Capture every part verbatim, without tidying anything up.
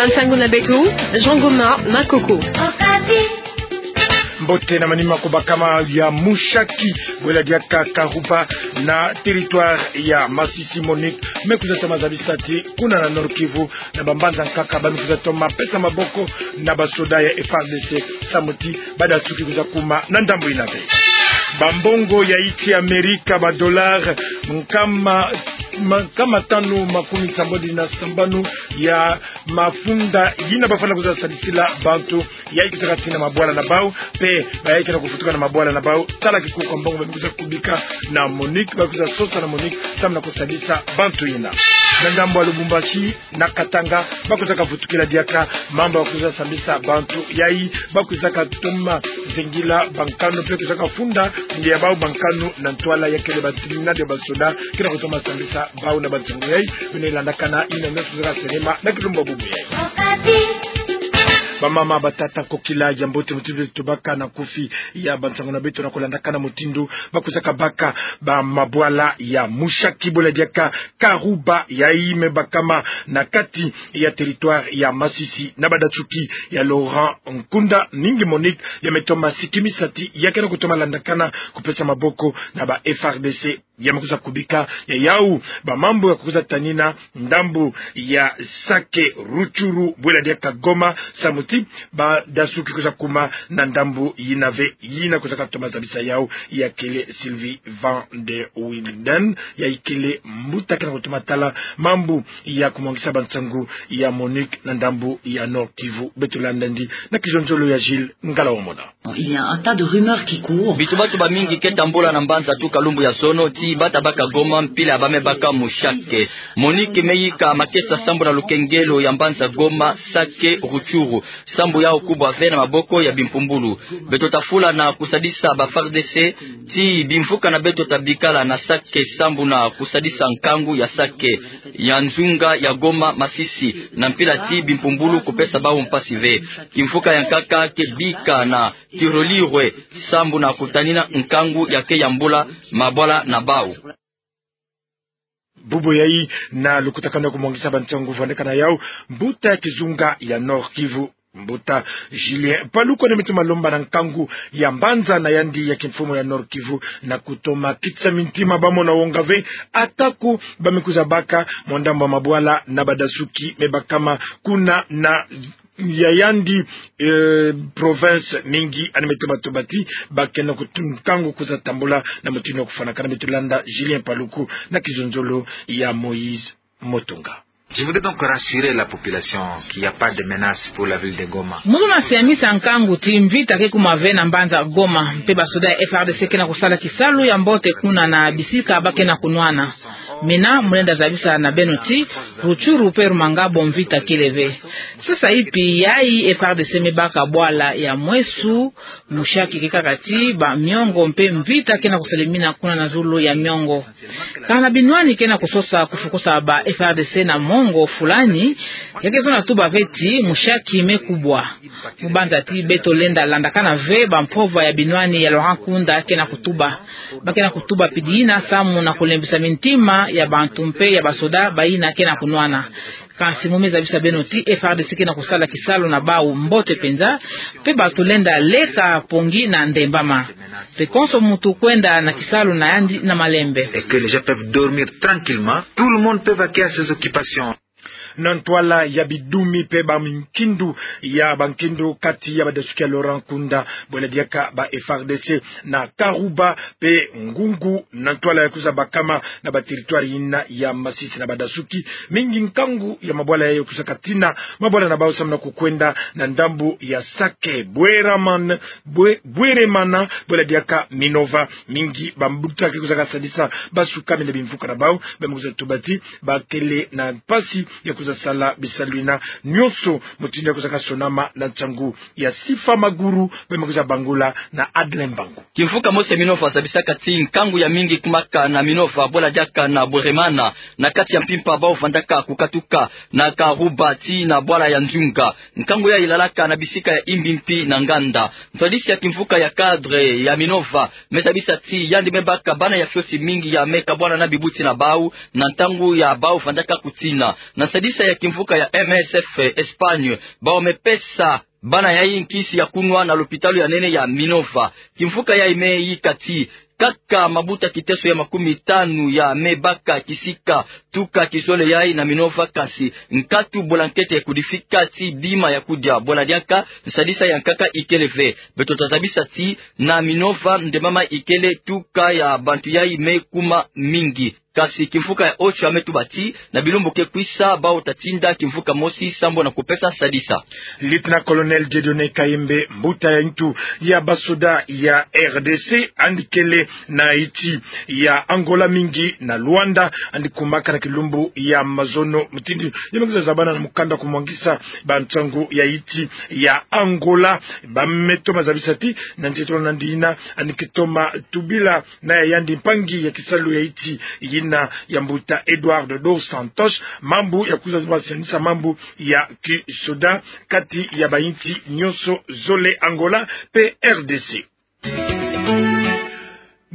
Nsangu na beto, Jean Goma Makoko. Mbote na manima ko bakama ya mushaki, bwela diaka Karuba na territoire ya Masisi. MONUC me kwiza toma zabisa ti kuna na Nord-Kivu, na bambanza nkaka ba me kwiza toma pesa maboko na basoda ya F A R D C, samu ti badasuki kwiza kuma na ndambu yina ve. Bambongo ya insi ya Amerika, ba dollars nkama, ma-, nkama tanu makumi sambodi na sambanu ya mafunda yina bafwana kwiza sadisila bantu yayi kwizaka tina mabwala na bau, mpe bayayi ke na kufutuka na mabwala na bau. Tala kikuku ya mbongo ba me kwiza kubika na MONUC, ba kwiza sosa na MONUC samu na kusadisa bantu yina. Na ngambo ya Lubumbashi, na Katanga, ba kwizaka vutukila diaka mambu ya kwiza sambisa bantu yayi ba kwizaka toma zengila bankanu, mpe kwizaka funda nge ya bau bankanu na ntwala ya kele ba tribunal ya basoda ke na kutoma sambisa bau na bansangu yayi. Beno landakana yina nyonso kwizaka selema na kilumbu bubu yayi. Bamama, batata, kokila, ya mbote mutindu tubaka na kufi ya bansangu na beto na kulandakana mutindu ba kwizaka baka ba mabwala ya mushaki, bwela diaka Karuba, yayi me bakama na kati ya territoire ya Masisi na badasuki ya Laurent Nkunda. Mingi MONUC ya me toma sikimisa ti ya ke na kutoma landakana kupesa maboko na ba F A R D C. Ya me kwiza kubika ya yau bamambu ya kwiza tanina ndambu ya Sake, Rutshuru, bwela diaka Goma, samu ti badasuki kwiza kuma na ndambu yina ve. Yina kwizaka toma zabisa yau ya kele Sylvie van der Wilden, yayi kele mbuta ke na kutoma tala mambu ya kumwangisa bansangu ya MONUC na ndambu ya Nord-Kivu. Beto landa ndi na kizonzolo ya Gilles Ngala Wamona. Il y a un tas de rumeurs qui courent. Bitu batu bamingi ke tambula na mbanza tuka lumbu ya zono ti bata baka Goma mpila ya ba me baka mushaki. MONUC me yika makesa sambu na lukengelo ya mbanza Goma, Sake, Rutshuru, sambu yau kubwa ve na maboko ya bimpumbulu. Beto tafula na kusadisa ba F A R D C ti bimvuka na beto ta bikala na Sake sambu na kusadisa nkangu ya Sake, ya nzunga ya Goma, Masisi, na mpila ti bimpumbulu kupesa bau mpasi ve. Kimvuka ya nkaka ke bika na Tirolirwe sambu na kutanina nkangu ya ke yambula mabwala na bau. Bubu yayi na lukutakanu ya kumwangisa bansangu vandaka na yau, mbuta ya kizunga ya Nord-Kivu, mbuta Julien Paluku, na mitu malomba na nkangu ya mbanza na yandi ya kimfumu ya Nord-Kivu na kutoma kitisa mintima bamona wonga ve, atako ba me kwiza baka mwa ndambu ya mabwala na badasuki me bakama kuna na ya yandi, eh, province mingi. Ani me toma tuba ti ba ke na kutu nkangu kwiza tambula na mutindu ya kufwanakana. Beto landa Julien Paluku na kizonzolo ya Moïse Motunga. Je voudrais donc rassurer la population qu'il n'y a pas de menace pour la ville de Goma. Mu luna siamisa nkangu ti mvita ke kuma ve na mbanza Goma, mpe basoda ya F A R D C ke na kusala kisalu ya mbote kuna na bisika ba ke na kunwana. Mina mu lenda zabisa na beno ti Rutshuru mpe Rumangabo mvita kele ve. Sasa ipi yayi F A R D C me baka bwala ya Mweso, mushaki ke kaka ti ba miongo mpe mvita ke na kusalemina kuna na zulu ya miongo. Kana binwani ke na kusosa kufukusa ba F A R D C na mongo fulani, ya ke zonza tuba ve ti mushaki me kubwa. Mu banza ti beto lenda landakana ve ba mpova ya binwani ya Laurent Nkunda ke na kutuba. Ba ke na kutuba pidi yina samu na kulembisa mintima ya bantu mpe ya basoda bayina ke na kunwana. Kansi mu me zabisa beno ti F A R D C ke na kusala kisalu na bau mbote mpenza, mpe bato lenda leka pongi na ndembama. Mpe konso muntu kwenda na kisalu na yandi na malembe. Et que les gens peuvent dormir tranquillement. Tout le monde peut vaquer à ses occupations. Na ntwala ya bidumi mpe ba minkindu ya bankindu kati ya badasuki ya Laurent Nkunda, bwela diaka ba F A R D C na Karuba mpe Ngungu, na ntwala ya kwiza bakama na ba territoire yina ya Masisi na badasuki mingi, nkangu ya mabwala yayi kwizaka tina mabwala na bau samu na kukwenda na ndambu ya Sake, Bweraman-, Bwe-, Bweremana, bwela diaka Minova. Mingi bambuta ke kwizaka sadisa basukami na bimvuka na bau, ba me kwiza tuba ti ba kele na mpasi ya kwiza sala bisalu yina nyonso mutindu ya kwizaka sonama na nsangu ya Sifa Maguru, ba me kwiza bangula na Adeline Mbangu. Kimvuka mosi ya Minova zabisaka ti nkangu ya mingi kumaka na Minova, bwela diaka na Bweremana, na kati ya mpimpa bau vandaka kukatuka na Karuba tii na bwala ya Nzunga. Nkangu yayi lalaka na bisika ya Imbi mpi na Nganda. Ntwadisi ya kimvuka ya cadre ya Minova me zabisa ti yandi me baka bana ya fiosi mingi ya me kabwana na bibuti na bau na ntangu ya bau vandaka kutina. Na nsadisi Sa ya kimvuka ya M S F Espagne, bawu me pesa bana yayi nkisi ya kunwa na lopitalo ya nene ya Minova. Kimvuka yayi me yika ti, kaka mabuta kiteso ya makumi tanu ya me baka kisika tuka kizole yayi na Minova, kasi nkatu bula nkete ya kudifika ti bima ya kudia. Bula diaka, nsadisa ya nkaka ikele ve. Beto ta zabisa ti, na Minova ndemama ikele tuka ya bantu yayi me kuma mingi. Kasi kimvuka ya Ocho ya me tuba ti, na bilumbu ke kwisa, bawu ta tinda kimvuka mosi sambu na kupesa sadisa. Lieutenant-colonel Dieudonné Kayembe, mbuta ya ntu ya basoda ya R D C, yandi kele na insi ya Angola, mingi na Luanda, yandi kumaka na kilumbu ya mazono. Mutindu ya me kwiza zabana na mukanda kumwangisa bansangu ya insi ya Angola, ba me toma zabisa ti, na nsi tolo nandi yina, yandi ke toma tubila na ya yandi mpangi ya kisalu ya insi yina ya mbuta Eduardo dos Santos, mambu ya kwiza zaba sianisa mambu ya kisoda kati ya bainsi nyonso zole, Angola pe R D C.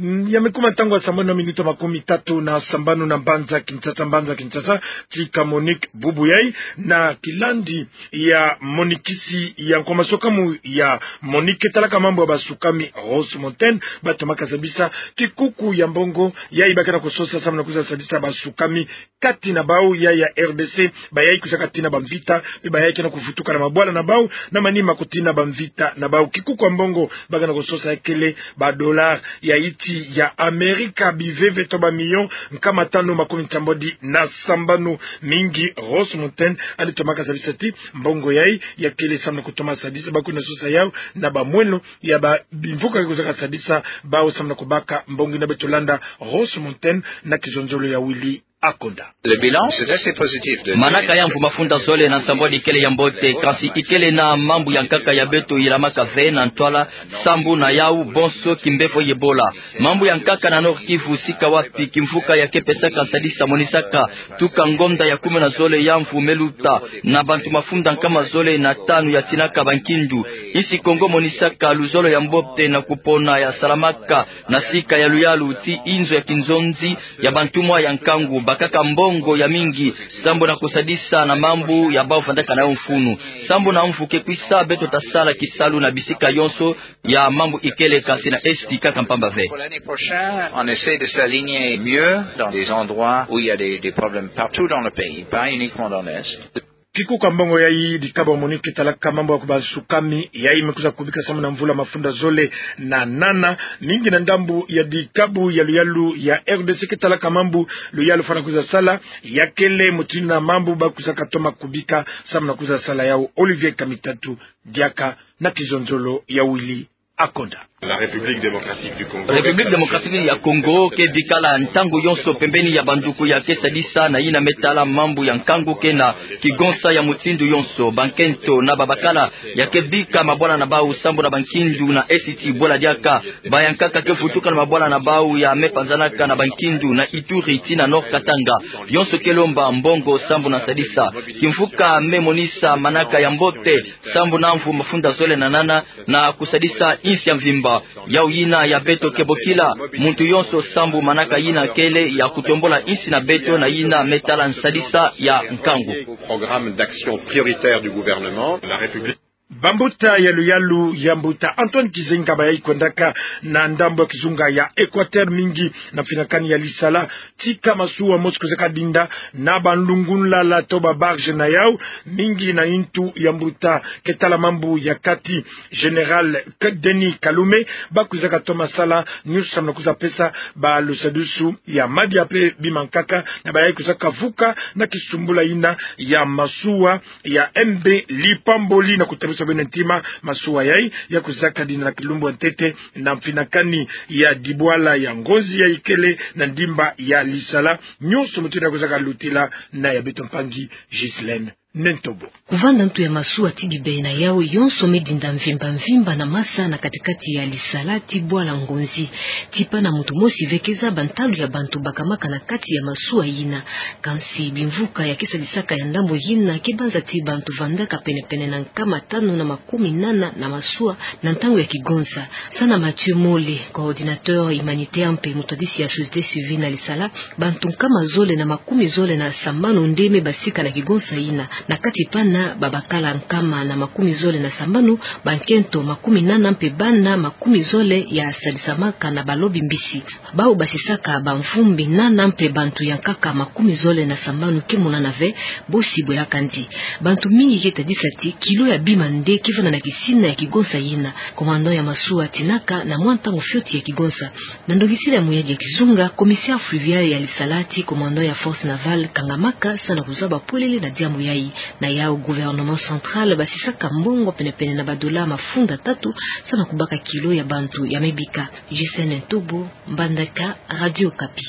Mm, ya me kuma ntangu ya sambanu na minuti makumi tatu na sambanu na mbanza Kinshasa, mbanza Kinshasa, tika Monique Bubu yayi, na kilandi ya monikisi ya nkwa maswakamu ya Monique talaka mambu ya basukami Rose Montaigne, ba tomaka zabisa kikuku ya mbongo yayi ba ke na kusosa sambu na kwiza sadisa basukami kati na bawu ya, ya R D C, bayayi kwizaka tina bamvita, pe bayayi ke na kuvutuka na mabwala na bawu, na manima kutina bamvita na bawu. Kikuku ya mbongo ba ke na kusosa ya kele ba dollars ya insi ya Amerika, biveve to ba millions nkama tanu makumi nsambwadi na sambanu. Mingi Rose Montaigne yandi tomaka zabisa ti, mbongo yayi ya kele sambu na kutoma sadisa, ba kwenda sosa yawu na bamweno ya ba bimvuka ke kwizaka sadisa bawu sambu na kubaka mbongo yina. Beto landa Rose Montaigne na kizonzolo ya Willy Akonda. Le bilan, c'est assez positif de... Manaka ya mvu mafunda zole na nsambwadi ikele ya mbote, kasi ikele na mambu ya nkaka ya beto yilamaka ve na ntwala, sambu na yawu bonso kimbevo ya Ebola. Mambu ya nkaka na Nord-Kivu, sika wapi kimvuka ya ke pesaka sadisa monisaka tuka ngonda ya kumi na zole ya mvu me luta, na bantu mafunda nkama zole na tanu ya tinaka bankindu. Insi Kongo monisaka luzolo ya mbote na kupona ya salamaka na sika ya luyalu ti inzo ya kinzonzi ya bantumwa ya nkangu, bakaka mbongo ya mingi sambu na kusadisa na mambu ya bawu vandaka na yo mfunu. Sambu na mvu ke kwisa, beto ta sala kisalu na bisika yonso ya mambu ikele, kasi na Esti kaka mpamba ve. Pour l'année prochaine, on essaie de s'aligner mieux dans des endroits où il y a des, des problèmes partout dans le pays, pas uniquement dans l'Est. Kikuku ya mbongo yayi, dikabu ya Monique talaka mambu ya kubasukami yayi me kwiza kubika sambu na mvula mafunda zole na nana, mingi na ndambu ya dikabu ya luyalu ya R D C ke talaka mambu luyalu fwana kwiza sala, ya kele mutindu na mambu ba kwizaka toma kubika sambu na kwiza sala yawu. Olivier Kamitatu, diaka na kizonzolo ya Willy Akonda. La République démocratique du Congo. République démocratique ya Congo ke bikala ntangu yonso pembeni ya banduku ya ke sadisa na yina me tala mambu ya nkangu ke na kigonsa ya mutindu yonso. Bankento na babakala ya ke bika mabwala na bawu sambu na bankindu na Esti, bwala diaka bayankaka ke vutuka na mabwala na bawu ya me panzanaka na bankindu na Ituri tii na Nord-Katanga. Yonso ke lomba mbongo sambu na sadisa. Kimvuka me monisa manaka ya mbote sambu na mvu mafunda zole na nana na kusadisa insi ya mvimba. Yawu yina ya beto ke bokila muntu yonso sambu manaka yina kele ya kutombula insi na beto na yina me tala nsadisa ya nkangu. Programme d'action prioritaire du gouvernement, la République. Bambuta ya luyalu ya mbuta Antoine Gizenga bayayi kwendaka na ndambu ya kizunga ya Équateur, mingi na mfinakani ya lisala, tika masuwa mosi kwizaka dinda na banlungunlala to ba barge na yawu, mingi na ntu ya mbuta ke tala mambu ya kati, Général Denis Kalume, ba kwizaka toma sala nyonso sambu na kwiza pesa ba lusadusu ya madia pe bima nkaka, na bayayi kwizaka vuka na kisumbula yina ya masuwa ya M B Lipamboli. Na kutabisa beno ntima, masuwa yayi ya kwizaka dinda na kilumbu ya ntete na mfinakani ya dibwala ya ngonzi ya ikele na ndimba ya lisala. Nyonso mutindu ya kwizaka lutila na ya beto mpangi Ghislaine Nentobo. Kuvanda ntu ya masuwa ti bibe na yawu yonso medinda mvimba mvimba na masa na kati-kati ya lisala ti bwala ngonzi. Ti pana muntu mosi ve ke zaba ntalu ya bantu bakamaka na kati ya masuwa yina. Kansi bimvuka ya ke sadisaka ya ndambo yina ke banza ti bantu vandaka pene-pene na nkama tanu na makumi nana na masuwa na ntangu ya kigonza. Sana Mathieu Mole, coordinateur humanitaire mpe mutwadisi ya société civile na lisala, bantu nkama zole na makumi zole na sambanu nde mebasika na kigonza yina. Na kati pana babakala nkama na makumi zole na sambanu, bankento makumi nana mpe bana makumi zole ya sadisamaka na balobi mbisi. Bawu basisaka bamvumbi nana mpe bantu ya nkaka makumi zole na sambanu ke monana ve, bosi bwela kandi. Bantu mingi ke tadisa ti kilo ya bima nde ke vanda na kisina ya kigonza yina. Commandant ya masuwa atinaka na mwa ntangu fioti ya kigonza. Na ndongisila ya muyadi ya kizunga, commissaire fluvial ya lisala ti commandant ya force navale kangamaka sana kuzaba pwelele na diambu yayi. Na yawu gouvernement central basisaka mbongo pene-pene na badola mafunda tatu sana kubaka kilo ya bantu ya mebika. Gisèle Ntobo, Mbandaka, Radio Okapi.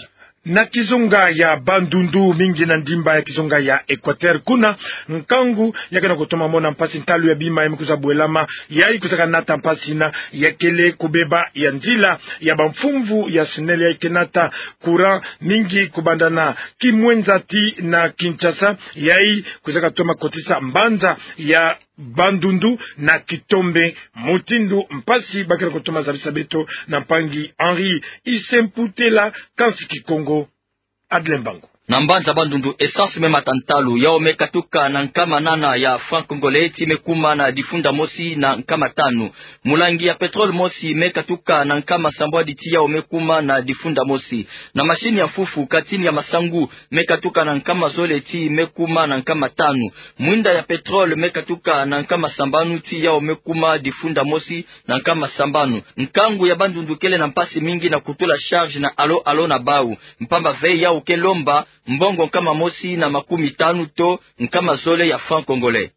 Na kizunga ya Bandundu, mingi na ndimba ya kizunga ya Equateur, kuna nkangu ya ke na kutoma mona mpasi, ntalu ya bima ya me kwiza bwelama, yayi kwizaka nata mpasi na ya kele kubeba ya nzila ya bamfumvu ya SNEL yayi ke nata courant mingi kubanda na Kimwenza tii na Kinshasa, yayi kwizaka toma kotisa mbanza ya Bandundu na kitombe, mutindu mpasi ba ke na kutoma zabisa beto na mpangi Henri Isemputela, kansi Kikongo, Adle Mbangu. Na mbanza Bandundu, essence me mata ntalu, yawu me katuka na nkama nana ya franc congolais tii me kuma na difunda mosi na nkama tanu. Mulangi ya pétrole mosi me katuka na nkama sambwadi tii yawu me kuma na difunda mosi. Na machine ya mfufu, katini ya masangu, me katuka na nkama zole tii me kuma na nkama tanu. Mwinda ya pétrole me katuka na nkama sambanu tii yawu me kuma difunda mosi na nkama sambanu. Nkangu ya Bandundu kele na mpasi mingi na kutula charge na alo-alo na bawu, mpamba ve yawu ke lomba mbongo nkama mosi na makumi tanu to nkama zole ya franc congolais.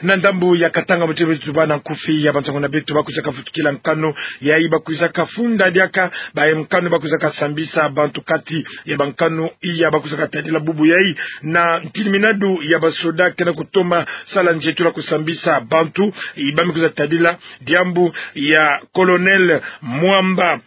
Na ndambu ya Katanga, mutindu beto tubâ na nkufi ya bansangu na beto, ba kwizaka vutukila nkanu yayi ba kwizaka funda diaka, ba nkanu ba kwizaka sambisa bantu kati ya bankanu iya ba kwizaka tadila bubu yayi. Na ntiliminadu ya basoda ke na kutoma sala nzietulu ya kusambisa bantu, i ba me kwiza tadila diambu ya Colonel Mwamba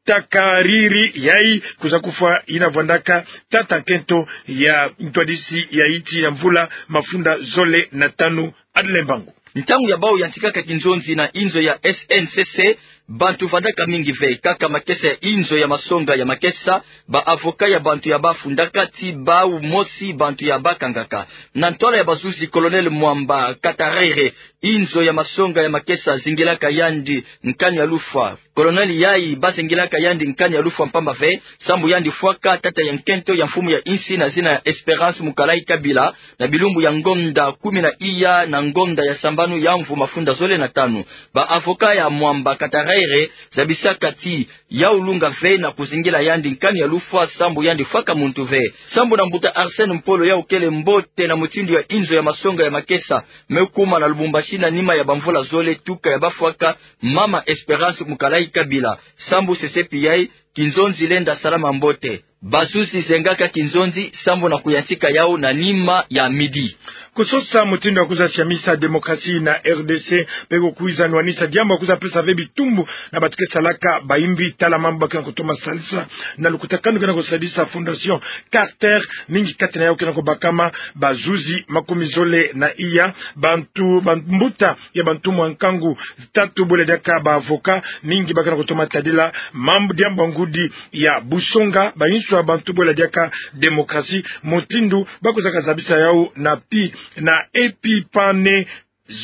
Takariri, yayi kwiza kufwa yina vwandaka tata nkento ya ntwadisi ya insi ya mvula mafunda zole na tanu. Adle Mbangu. Ntangu ya bawu yantikaka kinzonzi na inzo ya S N C C, bantu vandaka mingi ve, kaka makesa ya inzo ya masonga ya makesa, ba avocat ya bantu ya ba fundaka tii bawu mosi bantu ya ba kangaka. Na ntwala ya bazuzi, Colonel Mwamba Katarere, inzo ya masonga ya makesa zingilaka yandi nkani ya lufwa. Colonel yayi ba zingilaka yandi nkani ya lufwa mpamba ve sambu yandi fwaka tata ya nkento ya mfumu ya insi na zina ya Espérance Mukalayi Kabila, na bilumbu ya ngonda kumi na iya na ngonda ya sambanu ya mvu mafunda zole na tanu. Ba avocat ya Mwamba Katarere zabisaka tii yawu lunga ve na kuzingila yandi nkani ya lufwa sambu yandi fwaka muntu ve. Sambu na mbuta Arsène Mpolo, yawu kele mbote na mutindu ya inzo ya masonga ya makesa me kuma na Lubumbashi na nima ya bamvula zole tuka ya ba fwaka mama Espérance Mukalayi Kabila. Sambu sesepi yayi, kinzonzi lenda salama mbote. Bazuzi zengaka kinzonzi sambu na kuyantika yawu na nima ya midi. Kusosa mutindu ya kwiza siamisa démocratie na R D C mpe ko kwiza nwanisa diambu ya kwiza pesa ve bitumbu na bantu ke salaka bayimbi, tala mambu ba ke na kutoma salisa na lukutakanu ke na kusadisa Fondation Carter, mingi kati na yawu ke na kubakama bazuzi makumi zole na iya, bantu, bambuta ya bantumwa nkangu tatu bwela diaka ba avocat, mingi ba ke na kutoma tadila mambu, diambu ya ngudi ya busonga, bainso ya bantu bwela diaka démocratie, mutindu ba kwizaka zabisa yawu na pi, na Epipane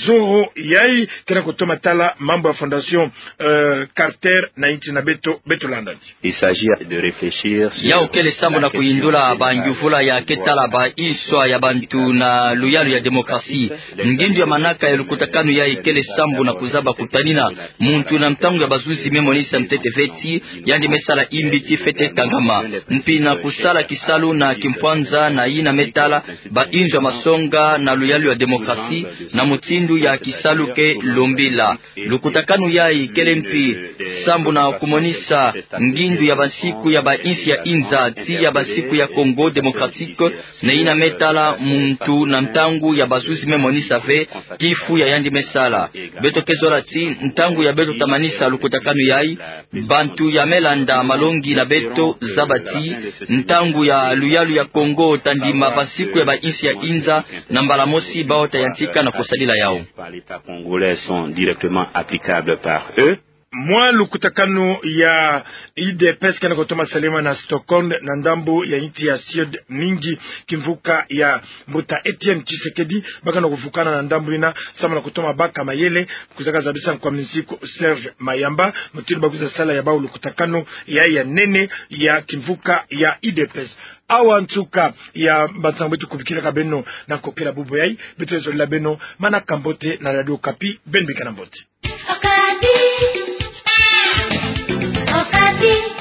Zoro, yayi ke na kutoma tala mambu ya Fondation, euh, Carter na insi na beto, beto landa. Il s'agit de réfléchir sur... Yawu kele sambu na kuyindula bangyuvula ya ke tala bainso ya bantu na luyalu ya démocratie. Ngindu ya manaka ya lukutakanu yayi kele sambu na kuzaba kutanina muntu na ntangu ya bazuzi me monisa ntete ve ti yandi me sala imbi ti fwete kangama, mpi na kusala kisalu na kimpwanza na yina me tala bainzo ya masonga na luyalu ya démocratie, na muti mutindu ya kisalu ke lombila. Lukutakanu yayi kele mpi sambu na kumonisa ngindu ya bansiku ya bainsi ya inza, tii ya bansiku ya Congo Démocratique, na yina me tala muntu na ntangu ya bazuzi me monisa ve kifu ya yandi me sala. Beto ke zola ti ntangu ya beto ta manisa lukutakanu yayi, bantu ya me landa malongi na beto zaba ti ntangu ya luyalu ya Congo ta ndima bansiku ya bainsi ya inza, na mbala mosi bawu ta yantika na kusadila yawu. Par l'État congolais sont directement applicables par eux. Mwa lukutakanu ya U D P S ke na kutoma salama na Stockholm, na ndambu ya nsi ya Suède, mingi kimvuka ya mbuta Étienne Tshisekedi, baka na kuvukana na ndambu yina samu na kutoma baka mayele, kwiza kazabisa nkwa minsiku Serge Mayamba mutindu ba kwiza sala ya bawu lukutakanu ya, ya nene ya kimvuka ya U D P S. Awa nsuka ya bansangu beto kubikila ka beno na nkokela bubu yayi. Beto ke zolila beno manaka mbote na Radio Okapi, beno bikana mbote. Okapi. Okapi.